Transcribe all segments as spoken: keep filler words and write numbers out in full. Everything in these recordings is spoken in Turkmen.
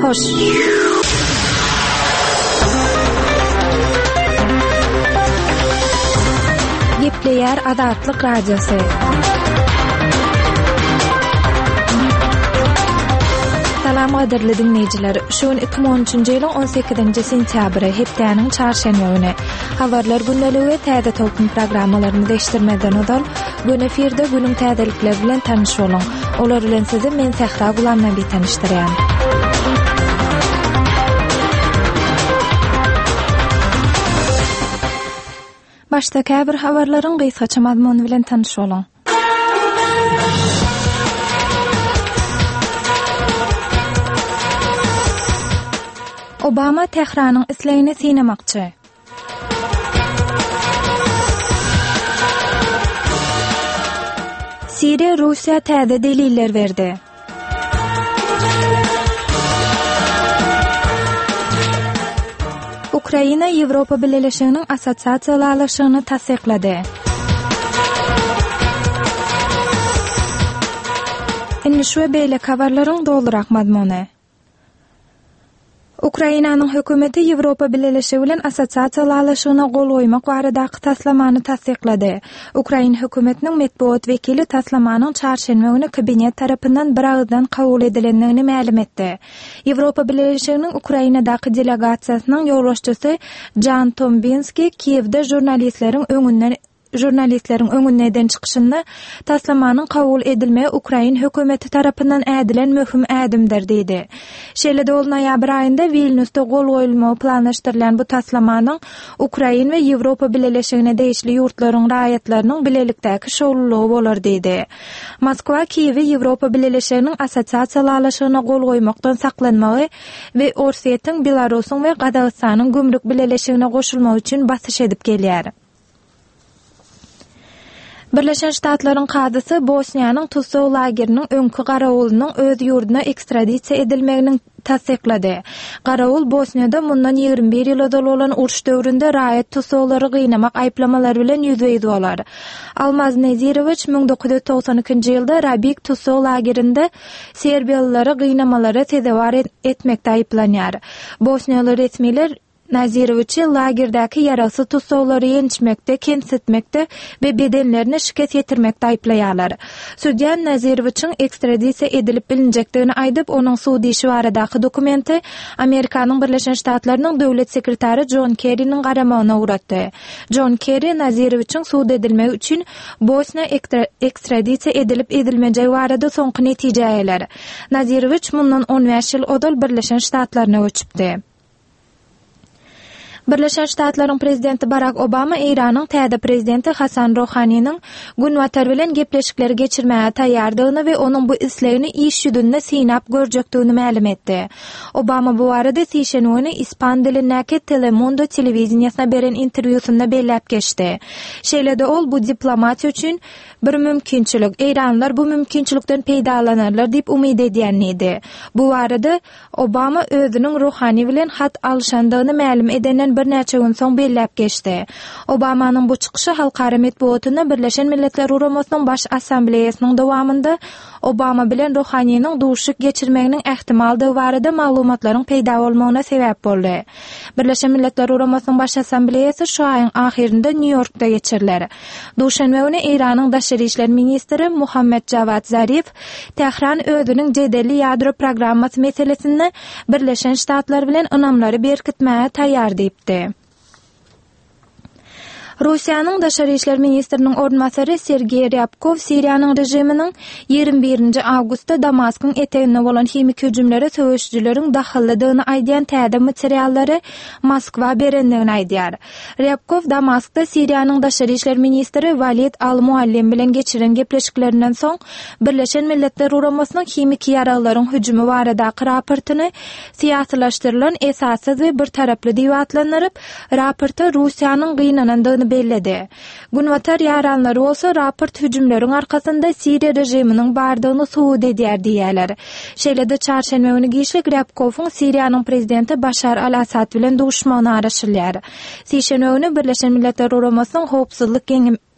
Hoş. Gepleýär Azatlyk Radiosy. Salam gadyrly diňleýjiler. Şu gün iki müň on üçünji ýylyň on sekizinji sentýabry, hepdäniň çarşenbe güni. Habarlar gündeligi we Täze tolkun programmalarymyzy eşitdirmezden ozal, gün efirde günüň täzelikleri bilen tanyş boluň. Olar bilen sizi men Sähra Gulamnabi tanyşdyrýan. Başda käbir habarlaryň gysgaça mazmuny bilen tanyş boluň. Obama Tähranyň islegini synamakçy. Siriýa Russiýa täze deliller berdi. Ukraina Ýewropa Bileleşiginiň Assosiasiýa ylalaşygyny tassyklady. Indi şu we beýleki habarlaryň dolurak mazmuny. Ukrainanyň hökümeti Ýewropa Bileleşigi bilen Assosiasiýa ylalaşygyna gol goýmak baradaky taslamany tassyklady. Ukrain hökümetiniň metbugat wekili taslamanyň çarşenbe güni kabinet tarapyndan biragyzdan kabul edilendigini mälim etdi. Ýewropa Bileleşiginiň Ukrainadaky delegasiýasynyň ýolbaşçysy Jan Tombinski Kiýewde žurnalistleriň öňünden žurnalistleriň öňünde eden çykyşynda taslamanyň kabul edilmegi ukrain hökümeti tarapyndan ädilen möhüm ädimdir diýdi. Şeýle-de ol noýabr aýynda Wilnýusda gol goýulmagy planlaşdyrylýan bu taslamanyň Ukrain we Ýewropa Bileleşigine degişli ýurtlaryň raýatlarynyň bilelikdäki şowlulygy bolar diýdi. Moskwa Kiýewi Ýewropa Bileleşiginiň Assosiasiýa ylalaşygyna gol goýmakdan saklanmagy we Orsýetiň, Belarusyň we Gazagystanyň gümrük bileleşigine goşulmagy üçin basyş edip gelýär. Birleşen Ştatlaryň kazysy Bosniýanyň tussag lageriniň öňki garawulynyň öz ýurduna ekstradisiýa edilmeginiň tassyklady. Garawul Bosniýada mundan ýigrimi bir ýyl ozal bolan uruş döwründe raýat tussaglary gynamak aýyplamalary bilen ýüzbe-ýüz bolar. Almaz Nezirowiç müň dokuz ýüz togsan ikinji ýylda Rabik tussag lagerinde serbiýalylary gynamalara sezewar etmekde aýyplanýar. Bosniýaly resmiler Nazirowiçi lagerdäki ýaragsyz tussaglary ýençmekde, kemsitmekde we bedenlerine şikes ýetirmekde aýyplaýarlar. Sudýa Nazirowiçiň ekstradisiýa edilip bilinjekdigini aýdyp, onuň sud işi baradaky dokumenti Amerikanyň Birleşen Ştatlarynyň döwlet sekretary Jon Kerriniň garamagyna ugratdy. Jon Kerri Nazirowiçiň sud edilmegi üçin Bosniýa ekstradisiýa edilip edilmejegi barada soňky netijä geler. Nazirowiç mundan on bäş ýyl ozal Birleşen Ştatlaryna göçüpdi. Birleşen Ştatlaryň prezidenti Barack Obama Eýranyň täze prezidenti Hasan Rohaniniň Günbatar bilen gepleşikleri geçirmäge taýýardygyny we onuň bu islegini iş ýüzünde synap görjekdigini mälim etdi. Obama bu barada sişenbe güni ispan dilindäki Telemundo telewideniýesine beren interwýusynda belläp geçdi. Şeýle-de ol bu diplomatiýa üçin bir mümkinçilik, Eýranlar bu mümkinçilikden peýdalanarlar diýip umyt edýän diýdi. Bu barada Obama özüniň Rohani bilen hat alyşandygyny mälim edenden birnäçe gün soň belläp geçdi. Obamanyň bu çykyşy halkara metbugatynda Birleşen Milletler Guramasynyň Baş Assambleýasynyň dowamynda Obama bilen Rohaniniň duşuşyk geçirmeginiň ähtimaldygy barada maglumatlaryň peýda bolmagyna sebäp boldy. Birleşen Milletler Guramasynyň Baş Assambleýasy şu aýyň ahyrynda Nýu-Ýorkda geçiriler. Duşenbe güni Eýranyň daşary işler ministri Muhammed Jawad Zarif Tähran özüniň jedelli ýadro programmasy meselesinde Birleşen Ştatlar bilen ynamlary berkitmäge taýýar diýipdi. Russiýanyň daşary işler ministriniň orunbasary Sergeý Rýabkow Siriýanyň režiminiň ýigrimi birinji awgustda Damaskyň eteginde bolan himiki hüjümlere söweşijileriň dahyllydygyny aýdýan täze materiallary Moskwa berendigini aýdýar. Rýabkow Damaskda Siriýanyň daşary işler ministri Walid Al-Muallim bilen geçiren gepleşiklerinden soň Birleşen Milletler Guramasynyň himiki ýaraglaryň hüjümi baradaky raportyny syýasylaşdyrylan esassyz we bir taraply diýip atlandyryp, raporta Russiýanyň gynanandygyny bolandygyny belledi. Günbatar ýaranlary bolsa raport hüjümleriň arkasynda Siriýa režiminiň bardygyny subut edýär diýýärler. Şeýle-de çarşenbe güni giçlik Rýabkowyň Siriýanyň prezidenti Başar al-Assad bilen duşmagyna garaşylýar. Sişenbe güni Birleşen Milletler Guramasynyň Howpsuzlyk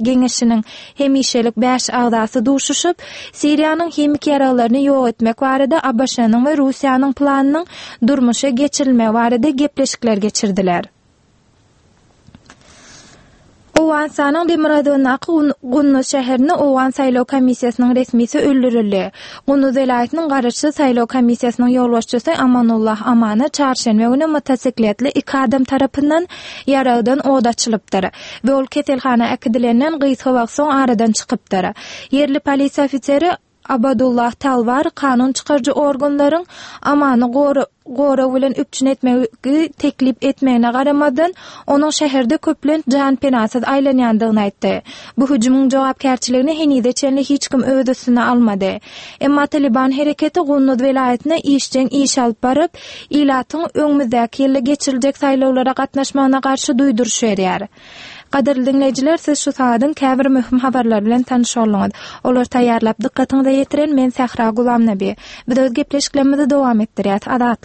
Geňeşiniň hemişelik bäş agzasy duşuşyp, Siriýanyň himiki ýaraglaryny ýok etmek barada ABŞ-nyň we Russiýanyň planynyň durmuşa geçirilmegi barada gepleşikler geçirdiler. Owganystanyň demirgazygyndaky Gunduz şäherinde Owgan saýlaw komissiýasynyň resmisi öldürildi. Gunduz welaýatynyň garaşsyz saýlaw komissiýasynyň ýolbaşçysy Amanullah Amana çarşenbe güni motosikletli iki adam tarapyndan ýaragdan od açylypdyr we ol keselhana äkidilenden gysga wagt soň aradan çykypdyr. Ýerli polisiýa ofiseri Abadullah Talwar kanun çykaryjy organlaryň Amany gorag bilen üpjün etmegi teklip etmegine garamazdan, onuň şäherde köplenç janpenasyz aýlanýandygyny aýtdy. Bu hüjümiň jogapkärçiligini henize çenli hiç kim öz üstüne almady. Emma Talyban hereketi Gunduz welaýatynda işjeň iş alyp baryp, ilatyň öňümizdäki ýylda geçiriljek saýlawlara gatnaşmagyna garşy duýduryş berýär. Gadyrly diňleýjiler, siz şu sagadyň käbir möhüm habarlary bilen tanyş bolduňyz. Olary taýýarlap dykgatyňyza ýetiren men Sähra Gulamnabi. Biz öz gepleşiklerimizi dowam etdirýäs. Azatlyk.